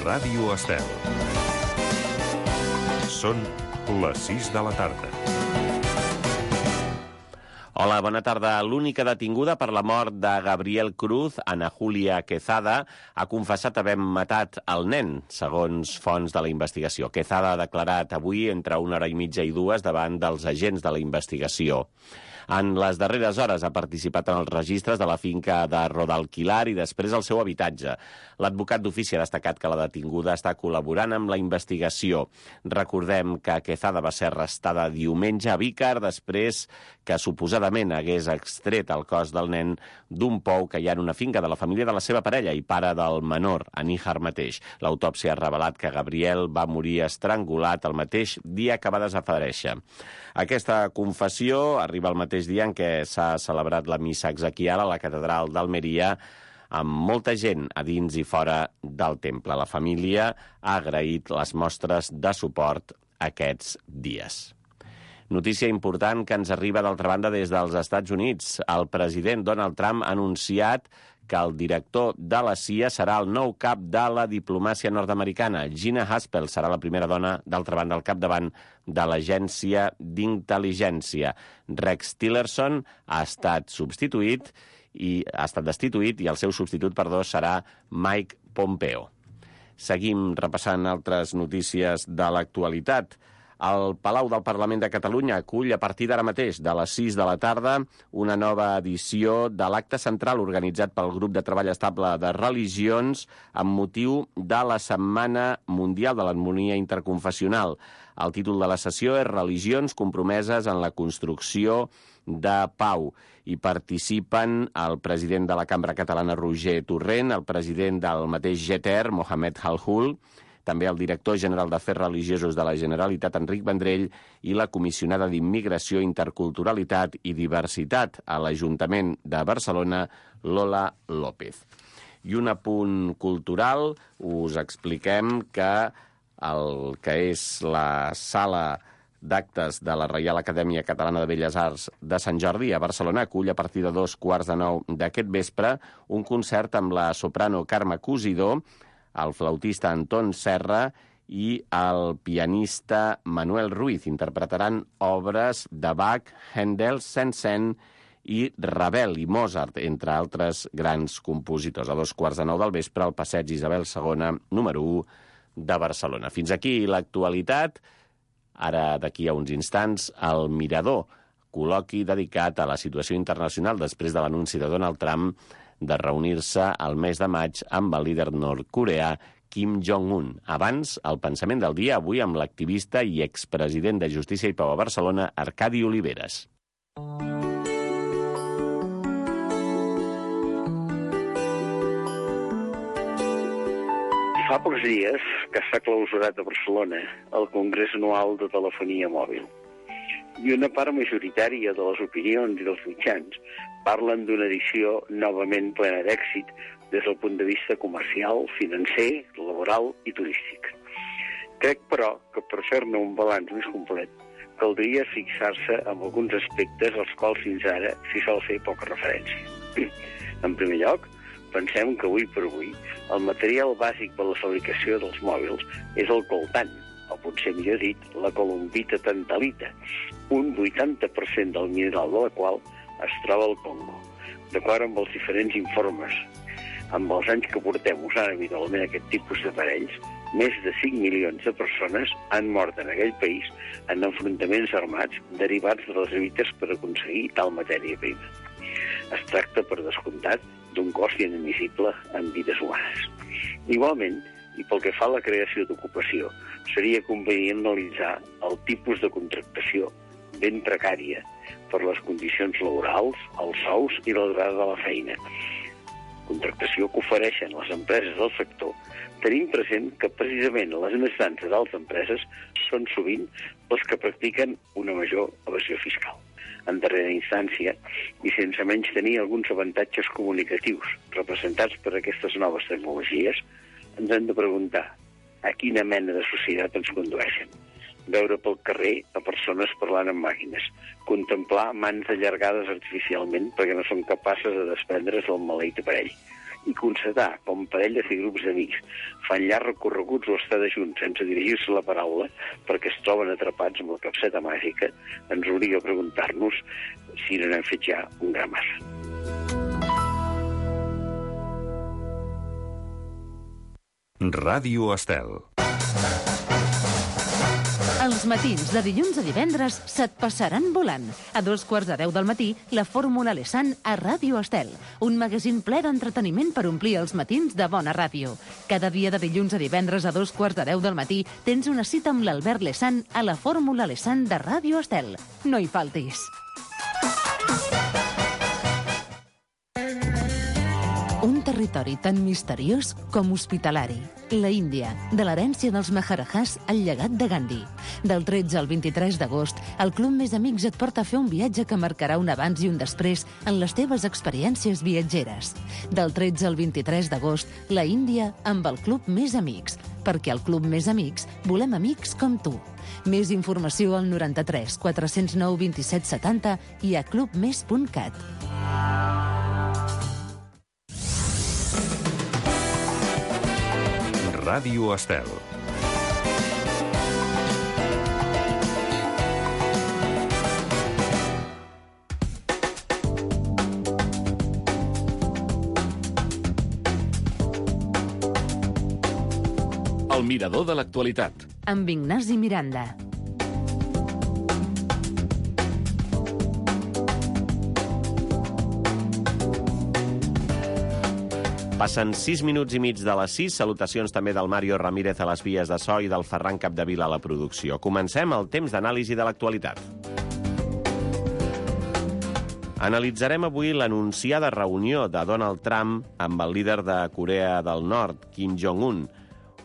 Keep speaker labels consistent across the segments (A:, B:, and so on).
A: Ràdio Estel. Són les 6 de la tarda.
B: Hola, bona tarda. L'única detinguda per la mort de Gabriel Cruz, Ana Julia Quezada, ha confessat haver matat el nen, segons fonts de la investigació. Quezada ha declarat avui entre 1h30 i 2 davant dels agents de la investigació. En les darreres hores ha participat en els registres de la finca de Rodalquilar i després el seu habitatge. L'advocat d'ofici ha destacat que la detinguda està col·laborant amb la investigació. Recordem que Quezada va ser arrestada diumenge a Vícar després que suposadament hagués extret el cos del nen d'un pou que hi ha en una finca de la família de la seva parella i pare del menor, Aníjar mateix. L'autòpsia ha revelat que Gabriel va morir estrangulat el mateix dia que va desaparèixer. Aquesta confessió arriba al mateix dia en què s'ha celebrat la missa exequial a la catedral d'Almeria amb molta gent a dins i fora del temple. La família ha agraït les mostres de suport aquests dies. Notícia important que ens arriba d'altra banda des dels Estats Units. El president Donald Trump ha anunciat que el director de la CIA serà el nou cap de la diplomàcia nord-americana. Gina Haspel serà la primera dona, d'altra banda, al capdavant de l'agència d'intel·ligència. Rex Tillerson ha estat destituït i el seu substitut, serà Mike Pompeo. Seguim repassant altres notícies de l'actualitat. El Palau del Parlament de Catalunya acull a partir d'ara mateix, de les 6 de la tarda, una nova edició de l'acte central organitzat pel Grup de Treball Estable de Religions amb motiu de la Setmana Mundial de l'Harmonia Interconfessional. El títol de la sessió és Religions compromeses en la construcció de pau. Hi participen el president de la Cambra Catalana, Roger Torrent, el president del mateix GETER, Mohamed Halhul, també el director general d'Afers Religiosos de la Generalitat, Enric Vendrell, i la comissionada d'Immigració, Interculturalitat i Diversitat a l'Ajuntament de Barcelona, Lola López. I un apunt cultural, us expliquem que el que és la sala d'actes de la Reial Acadèmia Catalana de Belles Arts de Sant Jordi a Barcelona acull a partir de 8:45 d'aquest vespre un concert amb la soprano Carme Cosidó, el flautista Anton Serra i el pianista Manuel Ruiz. Interpretaran obres de Bach, Händel, Saint-Saëns i Ravel i Mozart, entre altres grans compositors. A 8:45 del vespre, al passeig Isabel II, número 1 de Barcelona. Fins aquí l'actualitat. Ara, d'aquí a uns instants, el Mirador, col·loqui dedicat a la situació internacional després de l'anunci de Donald Trump de reunir-se al mes de maig amb el líder nord-coreà Kim Jong-un. Abans, el pensament del dia, avui amb l'activista i expresident de Justícia i Pau a Barcelona, Arcadi Oliveres.
C: Fa pocs dies que s'ha clausurat a Barcelona el Congrés Anual de Telefonia Mòbil. I una part majoritària de les opinions i dels mitjans parlen d'una edició novament plena d'èxit des del punt de vista comercial, financer, laboral i turístic. Crec, però, que per fer-ne un balanç més complet caldria fixar-se en alguns aspectes als quals fins ara s'hi sol fer poca referència. En primer lloc, pensem que avui per avui el material bàsic per la fabricació dels mòbils és el coltan, o potser millor dit, la columbita tantalita, un 80% del mineral de la qual es troba al Congo. D'acord amb els diferents informes, amb els anys que portem usant habitualment aquest tipus d'aparells, més de 5 milions de persones han mort en aquell país en enfrontaments armats derivats de les lluites per aconseguir tal matèria prima. Es tracta, per descomptat, d'un cost inadmissible en vides humanes. Igualment, i pel que fa a la creació d'ocupació, seria convenient analitzar el tipus de contractació ben precària per les condicions laborals, els sous i la durada de la feina. Contractació que ofereixen les empreses del sector, tenint present que precisament les més grans de tals empreses són sovint les que practiquen una major evasió fiscal. En darrera instància, i sense menys tenir alguns avantatges comunicatius representats per aquestes noves tecnologies, ens hem de preguntar a quina mena de societat ens condueixen. Veure pel carrer a persones parlant amb màquines, contemplar mans allargades artificialment perquè no són capaces de desprendre's del maleït aparell i constatar com parelles i grups d'amics fan llargs recorreguts o estar de junts sense dirigir-se la paraula perquè es troben atrapats amb la capseta màgica, ens obliga a preguntar-nos si no n'hem fet ja un gra massa.
A: Ràdio Estel.
D: Els matins de dilluns a divendres se't passaran volant. A 2:15 del matí, la Fórmula Lesan a Ràdio Estel. Un magazín ple d'entreteniment per omplir els matins de bona ràdio. Cada dia de dilluns a divendres a 2:15 del matí tens una cita amb l'Albert Lesan a la Fórmula Lesan de Ràdio Estel. No hi faltis. Un territori tan misteriós com hospitalari. La Índia, de l'herència dels Maharajahs al llegat de Gandhi. Del 13 al 23 d'agost, el Club Més Amics et porta a fer un viatge que marcarà un abans i un després en les teves experiències viatgeres. Del 13 al 23 d'agost, la Índia amb el Club Més Amics. Perquè al Club Més Amics volem amics com tu. Més informació al 93 409 27 70 i a clubmes.cat.
A: Ràdio Estel.
B: El mirador de l'actualitat.
D: Amb Ignasi Miranda.
B: Passen 6 minuts i mig de les 6. Salutacions també del Mario Ramírez a les vies de so i del Ferran Capdevila a la producció. Comencem el temps d'anàlisi de l'actualitat. Analitzarem avui l'anunciada reunió de Donald Trump amb el líder de Corea del Nord, Kim Jong-un.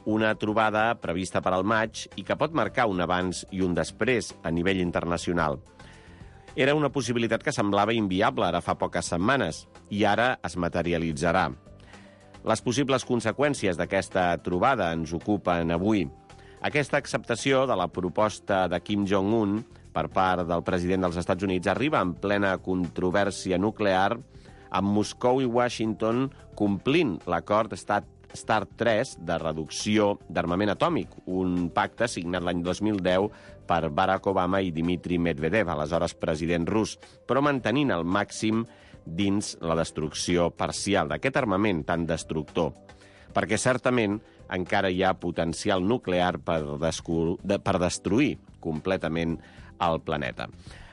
B: Una trobada prevista per al maig i que pot marcar un abans i un després a nivell internacional. Era una possibilitat que semblava inviable ara fa poques setmanes i ara es materialitzarà. Les possibles conseqüències d'aquesta trobada ens ocupen avui. Aquesta acceptació de la proposta de Kim Jong-un per part del president dels Estats Units arriba en plena controvèrsia nuclear, amb Moscou i Washington complint l'acord START 3 de reducció d'armament atòmic, un pacte signat l'any 2010 per Barack Obama i Dmitry Medvedev, aleshores president rus, però mantenint al màxim dins la destrucció parcial d'aquest armament tan destructor, perquè certament encara hi ha potencial nuclear per destruir completament el planeta.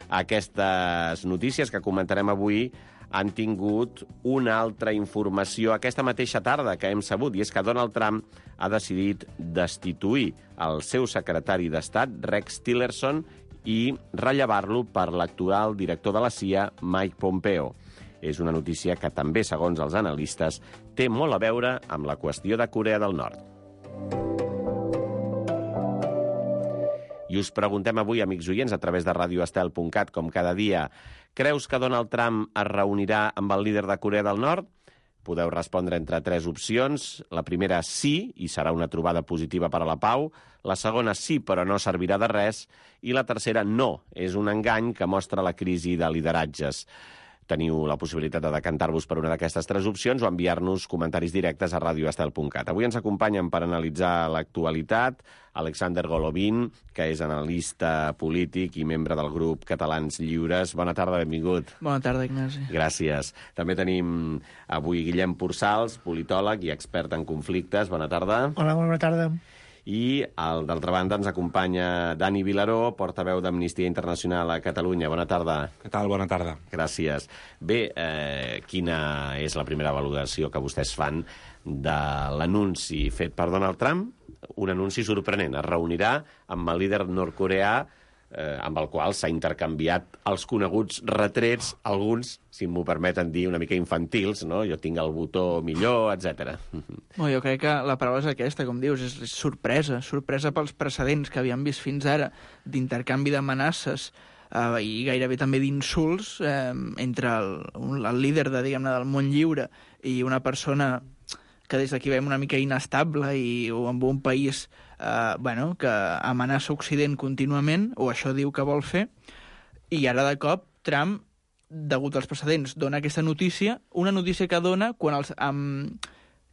B: Aquestes notícies que comentarem avui han tingut una altra informació aquesta mateixa tarda que hem sabut, i és que Donald Trump ha decidit destituir el seu secretari d'Estat, Rex Tillerson, i rellevar-lo per l'actual director de la CIA, Mike Pompeo. És una notícia que també, segons els analistes, té molt a veure amb la qüestió de Corea del Nord. I us preguntem avui, amics oients, a través de radioestel.cat, com cada dia, creus que Donald Trump es reunirà amb el líder de Corea del Nord? Podeu respondre entre 3 opcions. La primera, sí, i serà una trobada positiva per a la pau. La segona, sí, però no servirà de res. I la tercera, no, és un engany que mostra la crisi de lideratges. Teniu la possibilitat de decantar-vos per una d'aquestes 3 opcions o enviar-nos comentaris directes a radioestel.cat. Avui ens acompanyen per analitzar l'actualitat Alexander Golovin, que és analista polític i membre del grup Catalans Lliures. Bona tarda, benvingut.
E: Bona tarda, Ignasi.
B: Gràcies. També tenim avui Guillem Pursals, politòleg i expert en conflictes. Bona tarda.
F: Hola, bona tarda.
B: I, d'altra banda, ens acompanya Dani Vilaró, portaveu d'Amnistia Internacional a Catalunya. Bona tarda.
G: Què tal? Bona tarda.
B: Gràcies. Bé, quina és la primera valoració que vostès fan de l'anunci fet per Donald Trump? Un anunci sorprenent. Es reunirà amb el líder nord-coreà, amb el qual s'ha intercanviat els coneguts retrets, alguns, si m'ho permeten dir, una mica infantils, no? Jo tinc el botó millor, etc.
E: Bueno, jo crec que la paraula és aquesta, com dius, és sorpresa. Sorpresa pels precedents que havíem vist fins ara d'intercanvi d'amenaces i gairebé també d'insults entre el líder diguem-ne, del món lliure i una persona que des d'aquí veiem una mica inestable i amb un país que amenaça Occident contínuament, o això diu que vol fer, i ara de cop Trump degut als precedents, dona aquesta notícia, una notícia que dona quan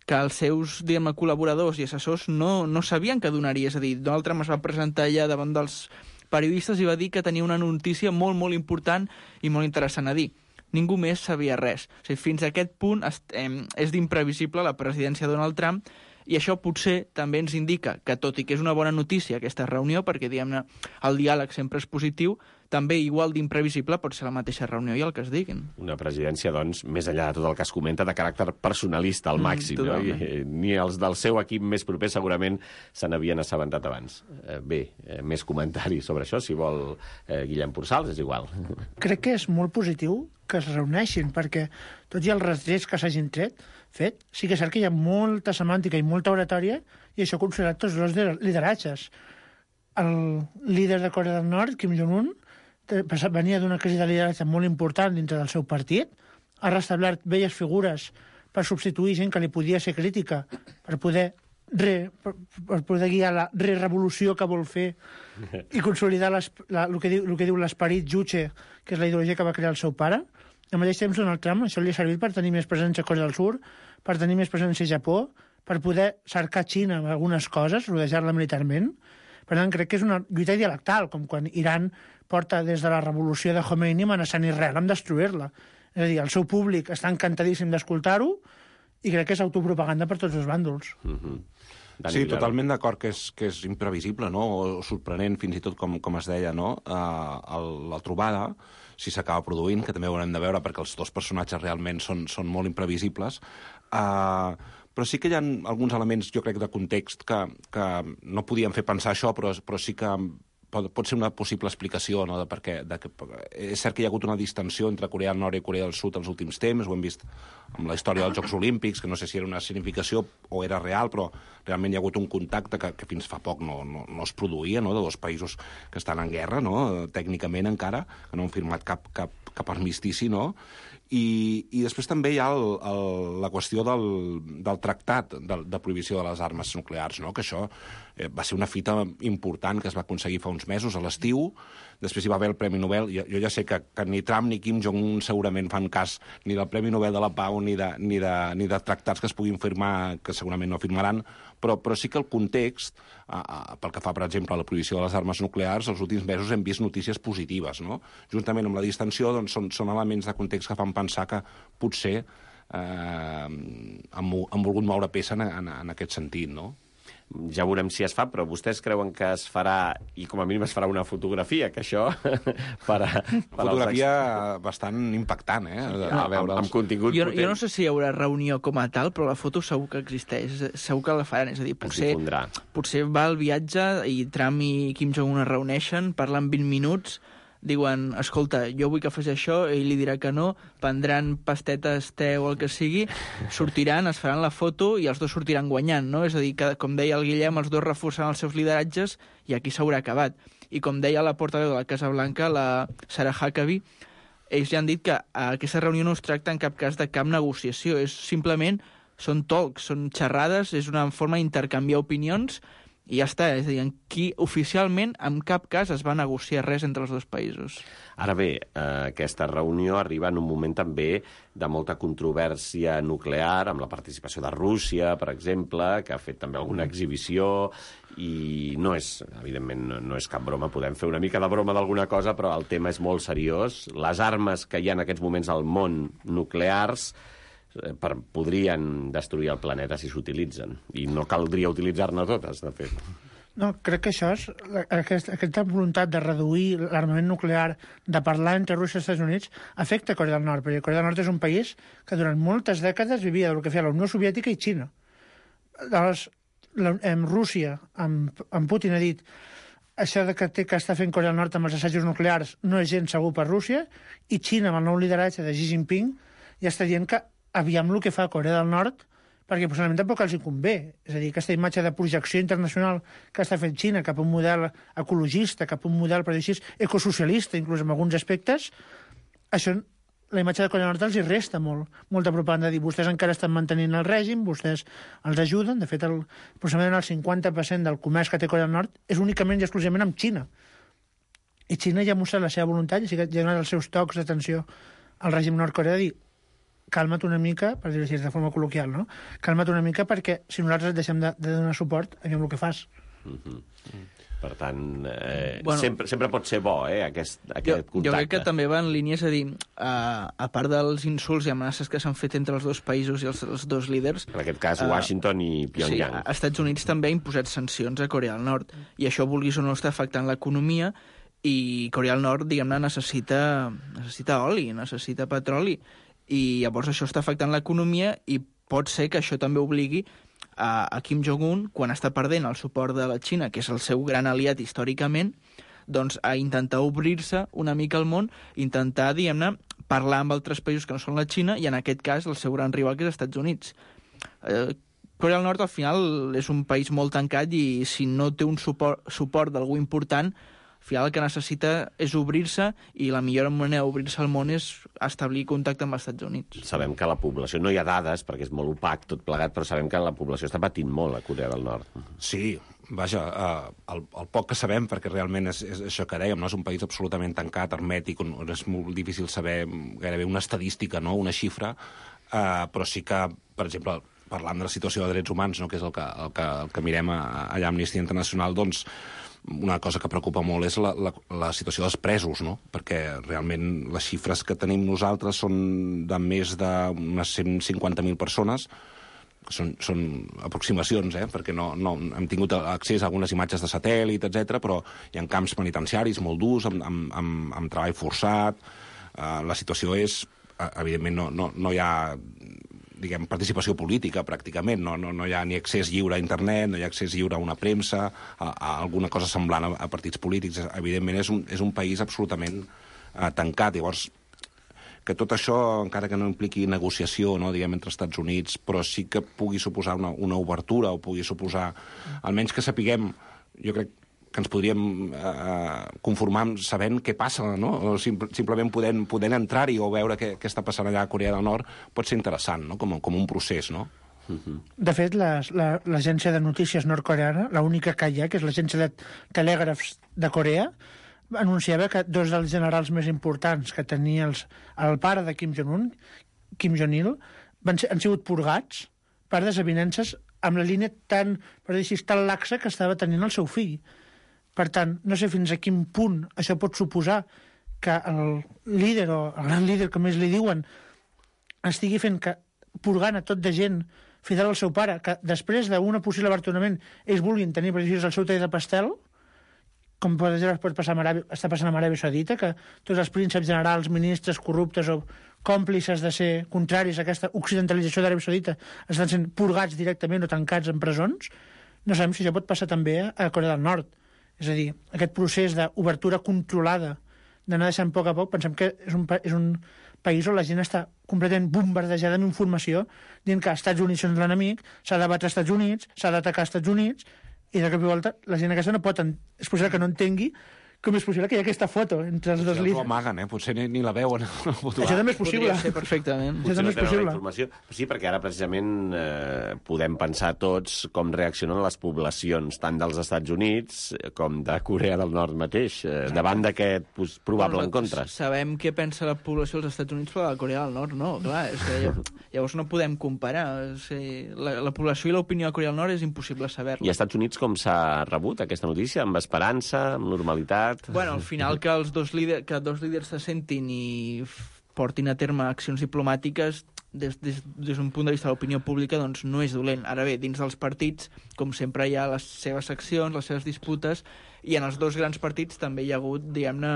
E: que els seus, diguem, col·laboradors i assessors no sabien que donaria. És a dir, Donald Trump es va presentar allà davant dels periodistes i va dir que tenia una notícia molt, molt important i molt interessant a dir. Ningú més sabia res. O sigui, fins a aquest punt és d'imprevisible la presidència de Donald Trump, i això potser també ens indica que, tot i que és una bona notícia aquesta reunió, perquè, diguem-ne, el diàleg sempre és positiu, també igual d'imprevisible pot ser la mateixa reunió i el que es diguin.
B: Una presidència, doncs, més enllà de tot el que es comenta, de caràcter personalista al màxim, no? Ni els del seu equip més proper segurament se n'havien assabentat abans. Més comentaris sobre això, si vol Guillem Purçals, és igual.
F: Crec que és molt positiu que es reuneixin, perquè tots i els retrets que s'hagin fet, sí que és cert que hi ha molta semàntica i molta oratòria, i això ha considerat tots dos lideratges. El líder de Corea del Nord, Kim Jong-un, venia d'una crisi de lideratge molt important dintre del seu partit, ha restablert velles figures per substituir gent que li podia ser crítica, per poder guiar la revolució que vol fer i consolidar el que diu l'esperit Juche, que és la ideologia que va crear el seu pare. Al mateix temps, Donald Trump, això li ha servit per tenir més presència a Corea del Sud, per tenir més presència a Japó, per poder cercar Xina amb algunes coses, rodejar-la militarment. Per tant, crec que és una lluita dialectal, com quan Iran porta des de la revolució de Khomeini amenaçant Israel amb destruir-la. És a dir, el seu públic està encantadíssim d'escoltar-ho i crec que és autopropaganda per tots els bàndols.
G: Sí, totalment d'acord que és imprevisible, no? O sorprenent, fins i tot, com es deia, no? La trobada, si s'acaba produint, que també ho haurem de veure perquè els dos personatges realment són molt imprevisibles, però sí que hi ha alguns elements, jo crec, de context que no podien fer pensar això, però sí que pot ser una possible explicació, no?, és cert que hi ha hagut una distensió entre Corea del Nord i Corea del Sud els últims temps, ho hem vist amb la història dels Jocs Olímpics, que no sé si era una significació o era real, però realment hi ha hagut un contacte que fins fa poc no es produïa, no?, de dos països que estan en guerra, no?, tècnicament encara, que no han firmat cap armistici, no?, i després també hi ha la qüestió del tractat de prohibició de les armes nuclears, no?, que això va ser una fita important que es va aconseguir fa uns mesos, a l'estiu. Després hi va haver el Premi Nobel. Jo ja sé que ni Trump ni Kim Jong-un segurament fan cas ni del Premi Nobel de la Pau ni de tractats que es puguin firmar, que segurament no firmaran, però sí que el context, pel que fa, per exemple, a la prohibició de les armes nuclears, els últims mesos hem vist notícies positives, no? Juntament amb la distensió, doncs, són elements de context que fan pensar que potser han volgut moure peça en aquest sentit, no?
B: Ja veurem si es fa, però vostès creuen que es farà, i com a mínim es farà una fotografia, que això...
E: Fotografia
G: bastant impactant,
B: a veure, amb contingut
E: potent. Jo no sé si hi haurà reunió com a tal, però la foto segur que existeix, segur que la faran, és a dir, potser va al viatge i Trump i Kim Jong-un es reuneixen, parlen 20 minuts, diuen, escolta, jo vull que faci això, ell li dirà que no, prendran pastetes, te o el que sigui, sortiran, es faran la foto i els dos sortiran guanyant, no? És a dir, que, com deia el Guillem, els dos reforçaran els seus lideratges i aquí s'haurà acabat. I com deia la portaveu de la Casa Blanca, la Sarah Huckabee, ells ja han dit que aquesta reunió no es tracta en cap cas de cap negociació, és simplement, són talks, són xerrades, és una forma d'intercanviar opinions i ja està, és a dir, aquí oficialment en cap cas es va negociar res entre els dos països.
B: Ara bé, aquesta reunió arriba en un moment també de molta controvèrsia nuclear, amb la participació de Rússia, per exemple, que ha fet també alguna exhibició, i no és, evidentment, no és cap broma, podem fer una mica de broma d'alguna cosa, però el tema és molt seriós. Les armes que hi ha en aquests moments al món nuclears podrien destruir el planeta si s'utilitzen. I no caldria utilitzar-ne totes, de fet.
F: No, crec que això és aquesta voluntat de reduir l'armament nuclear, de parlar entre Rússia i Estats Units, afecta Corea del Nord, perquè Corea del Nord és un país que durant moltes dècades vivia del que feia la Unió Soviètica i Xina. Llavors, Rússia, amb Putin, ha dit això que està fent Corea del Nord amb els assajos nuclears no és gens segur per Rússia, i Xina, amb el nou lideratge de Xi Jinping, ja està dient que aviam el que fa Corea del Nord, perquè possiblement tampoc els hi convé. És a dir, aquesta imatge de projecció internacional que està fent Xina cap a un model ecologista, cap a un model, per dir així, ecosocialista, inclús en alguns aspectes, això, la imatge de Corea del Nord els hi resta molta propaganda, dir, vostès encara estan mantenint el règim, vostès els ajuden, de fet, aproximadament el 50% del comerç que té Corea del Nord és únicament i exclusivament amb Xina. I Xina ja ha mostrat la seva voluntat, i ja ha donat els seus tocs d'atenció al règim nord-coreà de dir calma't una mica, per dir-ho així, de forma col·loquial, no? Calma't una mica perquè si nosaltres et deixem de donar suport, aviam el que fas.
B: Per tant, sempre pot ser bo, aquest contacte.
E: Jo crec que també va en línia, és a dir, a part dels insults i amenaces que s'han fet entre els dos països i els dos líders...
B: En aquest cas, Washington i Pyongyang.
E: Sí, Estats Units també ha imposat sancions a Corea del Nord, i això, vulguis o no, està afectant l'economia, i Corea del Nord, diguem-ne, necessita oli, necessita petroli, i llavors això està afectant l'economia, i pot ser que això també obligui a Kim Jong-un, quan està perdent el suport de la Xina, que és el seu gran aliat històricament, doncs a intentar obrir-se una mica al món, intentar, diguem-ne, parlar amb altres països que no són la Xina, i en aquest cas el seu gran rival, que és els Estats Units. Corea del Nord, al final, és un país molt tancat, i si no té un suport d'algú important, al final el que necessita és obrir-se, i la millor manera d'obrir-se al món és establir contacte amb els Estats Units.
B: Sabem que la població, no hi ha dades, perquè és molt opac tot plegat, però sabem que la població està patint molt a Corea del Nord.
G: Sí, vaja, el poc que sabem, perquè realment és això que dèiem, no? És un país absolutament tancat, hermètic, on és molt difícil saber gairebé una estadística, no? Una xifra, però sí que, per exemple, parlant de la situació de drets humans, no? Que és el que mirem allà a Amnistia Internacional, doncs una cosa que preocupa molt és la situació dels presos, no? Perquè realment les xifres que tenim nosaltres són de més d'unes 150.000 persones, que són aproximacions, perquè no hem tingut accés a algunes imatges de satèl·lit, etc, però hi ha camps penitenciaris molt durs, amb treball forçat. La situació és, evidentment, no hi ha participació política, pràcticament. No hi ha ni accés lliure a internet, no hi ha accés lliure a una premsa, a alguna cosa semblant a partits polítics. Evidentment, és un país absolutament tancat. Llavors, que tot això, encara que no impliqui negociació, no, entre Estats Units, però sí que pugui suposar una obertura, o pugui suposar, almenys que sapiguem, jo crec que ens podríem conformar sabent què passa, no? O simplement podent entrar-hi o veure què està passant allà a Corea del Nord pot ser interessant, no? Com un procés, no?
F: De fet, l'agència de notícies nord-coreana, l'única que hi ha, que és l'agència de telègrafs de Corea, anunciava que dos dels generals més importants que tenia el pare de Kim Jong-un, Kim Jong-il, han sigut purgats per desavinences amb la línia tan laxa que estava tenint el seu fill. Per tant, no sé fins a quin punt això pot suposar que el líder, o el gran líder, com més li diuen, estigui purgant a tot de gent fidel al seu pare, que després d'un possible abartonament ells vulguin tenir, per exemple, el seu tall de pastel, com pot passar està passant amb Aràbia Saudita, que tots els prínceps generals, ministres corruptes o còmplices de ser contraris a aquesta occidentalització d'Aràbia Saudita estan sent purgats directament o tancats en presons. No sabem si això pot passar també a Corea del Nord. És a dir, aquest procés d'obertura controlada, d'anar deixant a poc, pensem que és un país on la gent està completament bombardejada amb informació, dient que els Estats Units són l'enemic, s'ha de batre als Estats Units, s'ha d'atacar als Estats Units, i de cop i volta la gent aquesta no pot... És possible que no entengui com és possible que hi ha aquesta foto entre els dos líders.
G: Potser ho amaguen, potser ni la veuen.
F: Això també és possible.
E: Podria ser perfectament.
F: Això també és possible.
B: Sí, perquè ara precisament podem pensar tots com reaccionen les poblacions, tant dels Estats Units com de Corea del Nord mateix, davant d'aquest probable encontre.
E: Sabem què pensa la població dels Estats Units, però de Corea del Nord no, clar. És que llavors no podem comparar. La població i l'opinió de Corea del Nord és impossible saber-la.
B: I als Estats Units com s'ha rebut aquesta notícia? Amb esperança, amb normalitat?
E: Bueno, al final que dos líders se sentin i portin a terme accions diplomàtiques des d'un punt de vista de l'opinió pública, doncs no és dolent. Ara bé, dins dels partits, com sempre hi ha les seves seccions, les seves disputes, i en els dos grans partits també hi ha hagut, diguem-ne,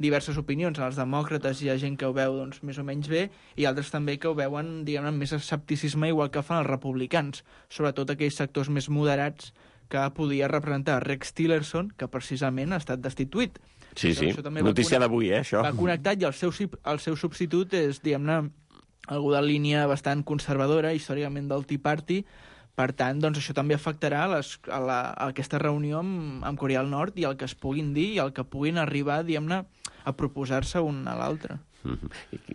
E: diverses opinions. En els demòcrates hi ha gent que ho veu doncs, més o menys bé, i altres també que ho veuen, diguem-ne, amb més escepticisme, igual que fan els republicans, sobretot aquells sectors més moderats que podia representar Rex Tillerson, que precisament ha estat destituït.
B: Sí, notícia d'avui, això.
E: Va connectat, i el seu substitut és, diguem-ne, algú de línia bastant conservadora, històricament del Tea Party. Per tant, doncs, això també afectarà a aquesta reunió amb Corea del Nord i el que es puguin dir i el que puguin arribar, diguem-ne, a proposar-se un a l'altre.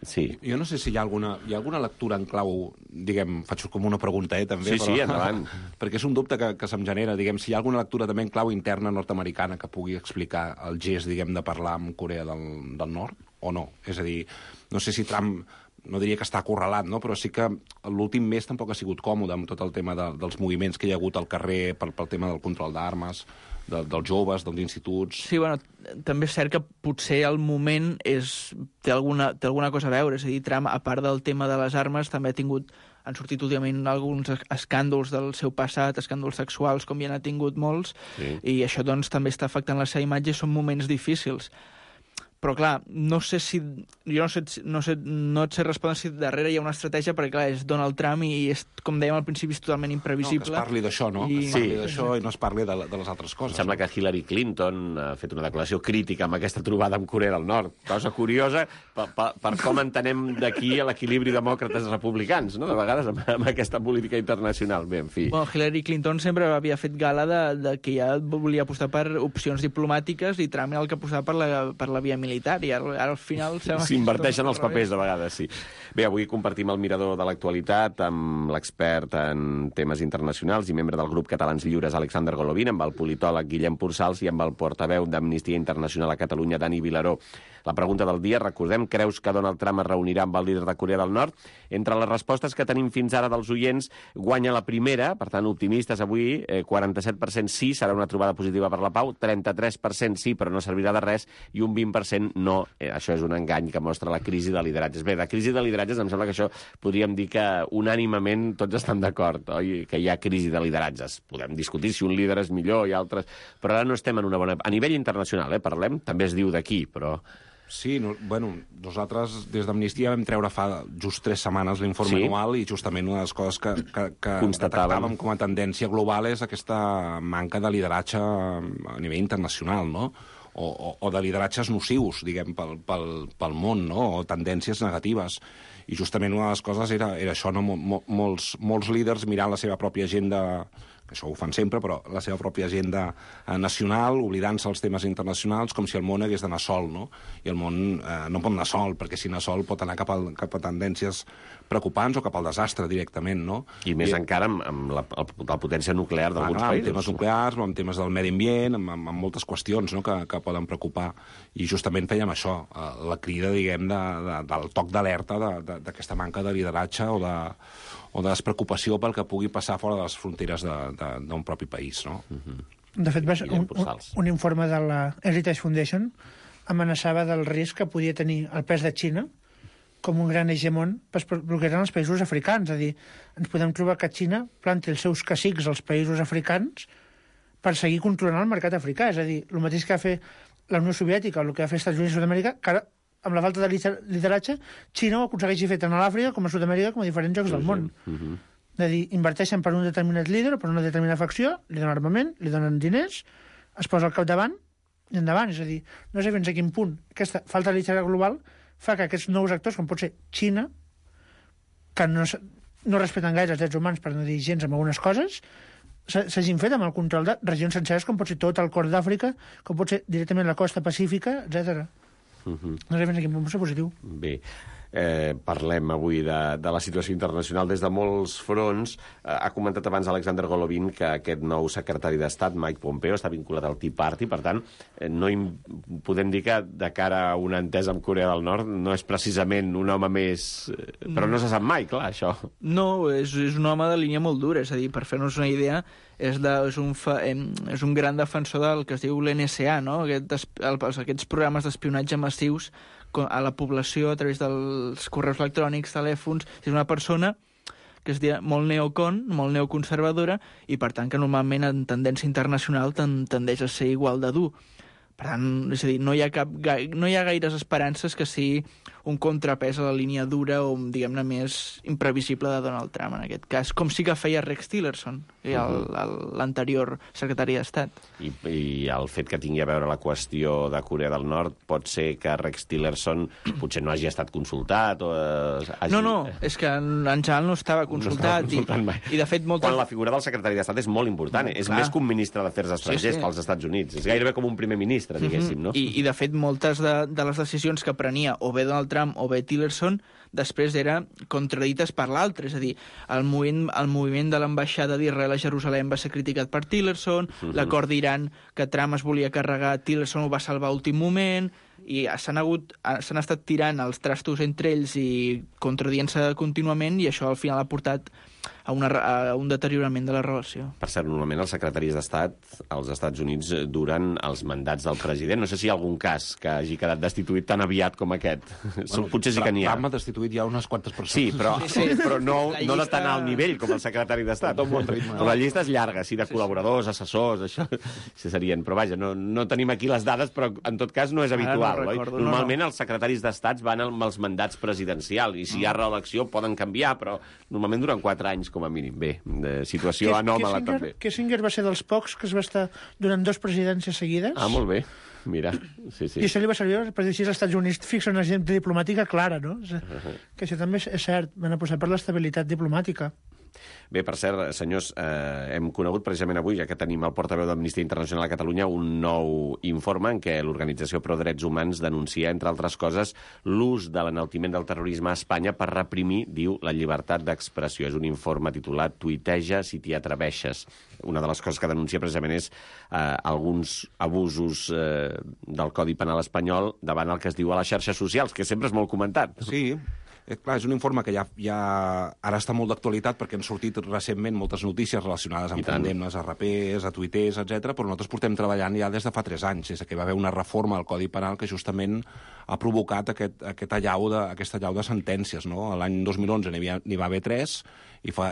B: Sí.
G: Jo no sé si hi ha alguna lectura en clau, faig com una pregunta, també.
B: Sí, endavant.
G: Perquè és un dubte que se'm genera, si hi ha alguna lectura també en clau interna nord-americana que pugui explicar el gest, de parlar amb Corea del Nord? o no. És a dir, no sé si Trump, no diria que està acorralat, no? Però sí que l'últim mes tampoc ha sigut còmode amb tot el tema dels moviments que hi ha hagut al carrer pel tema del control d'armes, dels joves, dels instituts...
E: Sí, bueno, també és cert que potser el moment té alguna cosa a veure. És a dir, Trump, a part del tema de les armes, també han sortit últimament alguns escàndols del seu passat, escàndols sexuals, com ja n'ha tingut molts, i això doncs també està afectant la seva imatge i són moments difícils. Però, clar, no et sé respondre si darrere hi ha una estratègia, perquè, clar, és Donald Trump i, com dèiem al principi, és totalment imprevisible.
G: No, que es parli d'això, no? Que es parli d'això i no es parli de les altres coses.
B: Sembla que Hillary Clinton ha fet una declaració crítica amb aquesta trobada amb Corea del Nord. Cosa curiosa per com entenem d'aquí l'equilibri demòcrates-republicans, no? De vegades, amb aquesta política internacional. Bé, en fi.
E: Bueno, Hillary Clinton sempre havia fet gala de que ja volia apostar per opcions diplomàtiques i Trump era el que apostava per la via militar, i ara al final...
B: S'inverteixen els papers, de vegades, sí. Bé, avui compartim el mirador de l'actualitat amb l'expert en temes internacionals i membre del grup Catalans Lliures, Alexander Golovin, amb el politòleg Guillem Pursals i amb el portaveu d'Amnistia Internacional a Catalunya, Dani Vilaró. La pregunta del dia, recordem, creus que Donald Trump es reunirà amb el líder de Corea del Nord? Entre les respostes que tenim fins ara dels oients, guanya la primera, per tant, optimistes avui, 47% sí, serà una trobada positiva per la pau, 33% sí, però no servirà de res, i un 20% no. Això és un engany que mostra la crisi de lideratges. Bé, de crisi de lideratges em sembla que això podríem dir que unànimament tots estan d'acord, oi? Que hi ha crisi de lideratges. Podem discutir si un líder és millor i altres, però ara no estem en una bona... A nivell internacional, parlem, també es diu d'aquí, però...
G: Sí, nosaltres des d'Amnistia vam treure fa just 3 setmanes l'informe anual i justament una de les coses que detectàvem com a tendència global és aquesta manca de lideratge a nivell internacional, no? O de lideratges nocius, diguem, pel món, no? O tendències negatives. I justament una de les coses era això, no? Molts líders mirant la seva pròpia agenda, això ho fan sempre, però la seva pròpia agenda nacional, oblidant-se els temes internacionals, com si el món hagués d'anar sol, no? I el món no pot anar sol, perquè si anar sol pot anar cap a tendències preocupants o cap al desastre directament, no?
B: I més encara amb la potència nuclear d'alguns països.
G: Amb temes nuclears, amb temes del medi ambient, amb moltes qüestions, no?, que poden preocupar. I justament fèiem això, la crida, diguem, del toc d'alerta d'aquesta manca de lideratge o de despreocupació pel que pugui passar fora de les fronteres d'un propi país, no?
F: De fet, un informe de la Heritage Foundation amenaçava del risc que podia tenir el pes de Xina com un gran hegemon per bloquejar els països africans. És a dir, ens podem trobar que Xina planti els seus cacics als països africans per seguir controlant el mercat africà. És a dir, el mateix que va fer la Unió Soviètica o el que va fer els Estats Units i Sud-amèrica, que ara, amb la falta de lideratge, Xina ho aconsegueixi fer tant a l'Àfrica com a Sud-amèrica com a diferents llocs del món. És a dir, inverteixen per un determinat líder o per una determinada facció, li donen armament, li donen diners, es posa al capdavant i endavant. És a dir, no sé fins a quin punt aquesta falta de lideratge global fa que aquests nous actors, com pot ser Xina, que no respecten gaire els drets humans, per no dir gens amb algunes coses, s'hagin fet amb el control de regions senceres, com pot ser tot el cor d'Àfrica, com pot ser directament la costa pacífica, etc. No sé fins a quin punt pot ser positiu.
B: Bé, parlem avui de la situació internacional des de molts fronts. Ha comentat abans Alexander Golovin que aquest nou secretari d'Estat, Mike Pompeo, està vinculat al Tea Party, per tant, podem dir que de cara a una entesa amb Corea del Nord no és precisament un home més... Però no se sap mai, clar, això.
E: No, és un home de línia molt dura, és a dir, per fer-nos una idea, és un gran defensor del que es diu l'NSA, no? Aquests programes d'espionatge massius a la població a través dels correus electrònics, telèfons. És una persona que es diu molt molt neoconservadora, i per tant que normalment en tendència internacional tendeix a ser igual de dur. Per tant, és a dir, no hi ha gaires esperances que sigui un contrapès a la línia dura o, diguem-ne, més imprevisible de Donald Trump, en aquest cas, com sí que feia Rex Tillerson, l'anterior secretari d'Estat.
B: I el fet que tingui a veure la qüestió de Corea del Nord pot ser que Rex Tillerson potser no hagi estat consultat o hagi...
E: No, és que en general no estava consultat, i de fet moltes...
B: Quan la figura del secretari d'Estat és molt important, és més que un ministre d'Afers Estrangers pels Estats Units, és gairebé com un primer ministre, diguéssim, no?
E: I de fet moltes de les decisions que prenia o bé Donald Trump o bé Tillerson després eren contradites per l'altre, és a dir, el moviment de l'ambaixada d'Israel a Jerusalem va ser criticat per Tillerson, l'acord d'Iran que Trump es volia carregar, Tillerson ho va salvar a últim moment, i s'han estat tirant els trastos entre ells i contradient-se contínuament, i això al final ha portat a un deteriorament de la relació.
B: Per cert, normalment els secretaris d'Estat als Estats Units duren els mandats del president. No sé si hi ha algun cas que hagi quedat destituït tan aviat com aquest. Potser sí que n'hi ha.
G: Trump ha destituït ja unes quantes persones.
B: Sí, però no de tan alt nivell com el secretari d'Estat. Però la llista és llarga, sí, de col·laboradors, assessors, això serien. Però vaja, no tenim aquí les dades, però en tot cas no és habitual. Normalment els secretaris d'Estat van amb els mandats presidencials, i si hi ha reelecció poden canviar, però normalment duren 4 anys com a mínim. Bé, situació anòmala també.
F: Kissinger va ser dels pocs que es va estar durant 2 presidències seguides.
B: Ah, molt bé. Mira, sí.
F: I això li va servir per dir si els Estats Units fixen una agenda diplomàtica clara, no? Que això també és cert, van apostar per l'estabilitat diplomàtica.
B: Bé, per cert, senyors, hem conegut precisament avui, ja que tenim el portaveu d'Amnistia Internacional a Catalunya, un nou informe en què l'Organització Pro Drets Humans denuncia, entre altres coses, l'ús de l'enaltiment del terrorisme a Espanya per reprimir, diu, la llibertat d'expressió. És un informe titulat Tuiteja si t'hi atreveixes. Una de les coses que denuncia precisament és alguns abusos del Codi Penal espanyol davant el que es diu a les xarxes socials, que sempre és molt comentat.
G: Sí. Clar, és un informe que ja ara està molt d'actualitat perquè han sortit recentment moltes notícies relacionades amb condemnes a rapers, a tuiters, etc. Però nosaltres portem treballant ja des de fa 3 anys, des que va haver una reforma al Codi Penal que justament ha provocat aquesta allau de sentències. No? L'any 2011 n'hi va haver 3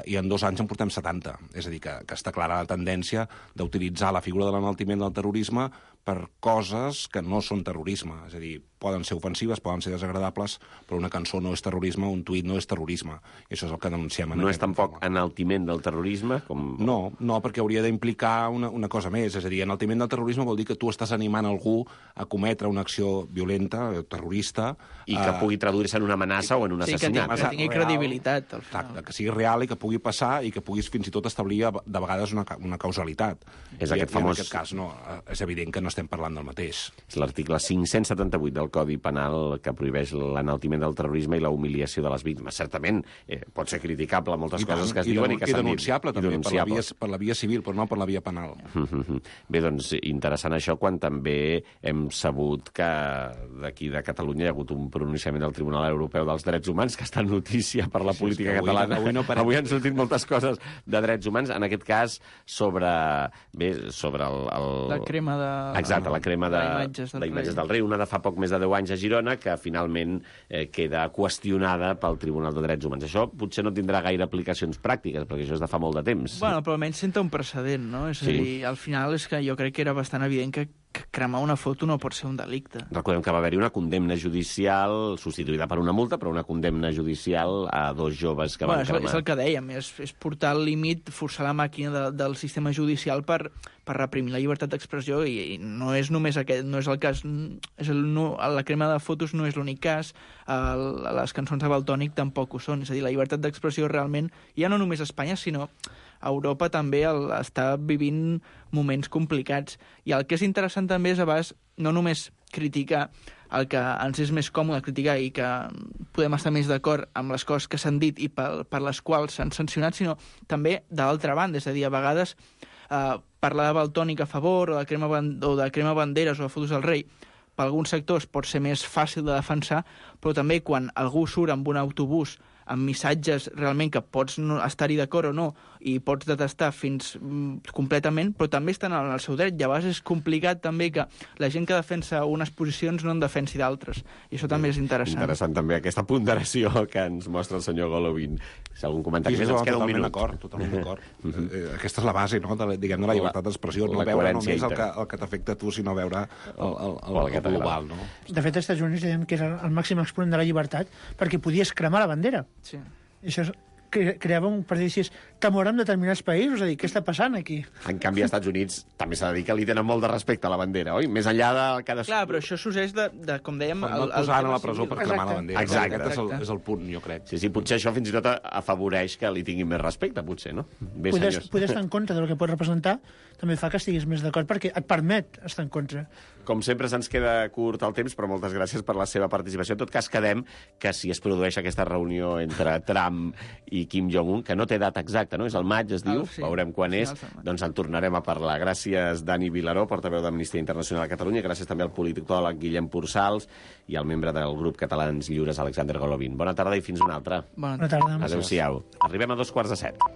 G: i en 2 anys en portem 70. És a dir, que està clara la tendència d'utilitzar la figura de l'enaltiment del terrorisme per coses que no són terrorisme. És a dir, poden ser ofensives, poden ser desagradables, però una cançó no és terrorisme, un tuit no és terrorisme. I això és el que denunciem.
B: No és tampoc enaltiment del terrorisme?
G: No, perquè hauria d'implicar una cosa més. És a dir, enaltiment del terrorisme vol dir que tu estàs animant algú a cometre una acció violenta, terrorista...
B: I que pugui traduir-se en una amenaça o en un assassinat.
E: Que tingui credibilitat.
G: Exacte, que sigui real i que pugui passar i que puguis fins i tot establir de vegades una causalitat.
B: És aquest famós...
G: En aquest cas, no, és evident que no estem parlant del mateix.
B: És l'article 578 del Codi Penal que prohibeix l'enaltiment del terrorisme i la humiliació de les víctimes. Certament, pot ser criticable moltes coses que es diuen i que s'han dit.
G: I denunciable, també, per la via civil, però no per la via penal.
B: Bé, doncs, interessant això quan també hem sabut que d'aquí de Catalunya hi ha hagut un pronunciament del Tribunal Europeu dels Drets Humans, que està en notícia per la política catalana. Avui han sortit moltes coses de drets humans, en aquest cas sobre
E: la crema de...
B: Exacte, la crema d'imatges del rei, una de fa poc més de 10 anys a Girona, que finalment queda qüestionada pel Tribunal de Drets Humans. Això potser no tindrà gaire aplicacions pràctiques, perquè això és de fa molt de temps.
E: Bueno, però almenys senta un precedent, no? És a dir, al final és que jo crec que era bastant evident que cremar una foto no pot ser un delicte.
B: Recordem que va haver-hi una condemna judicial substituïda per una multa, però una condemna judicial a 2 joves que van cremar.
E: És el que dèiem, és portar al límit, forçar la màquina del sistema judicial per reprimir la llibertat d'expressió, i no és només aquest, no és el cas, la crema de fotos no és l'únic cas, les cançons de Valtònyc tampoc ho són, és a dir, la llibertat d'expressió realment, ja no només a Espanya, sinó Europa també està vivint moments complicats. I el que és interessant també és, a vegades, no només criticar el que ens és més còmode criticar i que podem estar més d'acord amb les coses que s'han dit i per les quals s'han sancionat, sinó també de l'altra banda. És a dir, a vegades parlar de Valtònyc a favor o de crema banderes o de fotos del rei per alguns sectors pot ser més fàcil de defensar, però també quan algú surt amb un autobús amb missatges realment que pots estar-hi d'acord o no, i pots detestar fins completament, però també estan en el seu dret. I a vegades és complicat també que la gent que defensa unes posicions no en defensi d'altres. I això també és interessant.
B: Interessant també aquesta ponderació que ens mostra el senyor Golovin. Si algun comentari més, ens queda un minut.
G: Totalment d'acord. Aquesta és la base, no?, de la llibertat d'expressió. No veure només el que t'afecta a tu, sinó veure el global, no?
F: De fet, als Estats Units deien que era el màxim exponent de la llibertat perquè podies cremar la bandera.
E: Sí.
F: I això creava un prejudici temor en determinats països, és a dir, què està passant aquí?
B: En canvi, als Estats Units també s'ha de dir que li tenen molt de respecte a la bandera, oi? Més enllà de cadascú...
E: Clar, però això sorgeix de com dèiem...
G: No et posaran a la presó per cremar la bandera.
B: Exacte.
G: Aquest és el punt, jo crec.
B: Sí, potser això fins i tot afavoreix que li tinguin més respecte, potser, no? Bé, senyors.
F: Poder estar en contra del que pot representar també fa que estiguis més d'acord, perquè et permet estar en contra.
B: Com sempre, se'ns queda curt el temps, però moltes gràcies per la seva participació. En tot cas, quedem que si es produeix aquesta reunió entre Trump i Kim Jong-un, que no té data exacta, no? És al maig, es diu,
E: sí.
B: veurem quan és,
E: Finals del maig.
B: doncs en tornarem a parlar. Gràcies, Dani Vilaró, portaveu d'Amnistia Internacional a Catalunya, gràcies també al politòleg Guillem Pursals i al membre del grup Catalans Lliures, Alexander Golovin. Bona tarda i fins una altra.
E: Bona
F: Bona tarda.
B: Adéu-siau. Arribem a 2:45.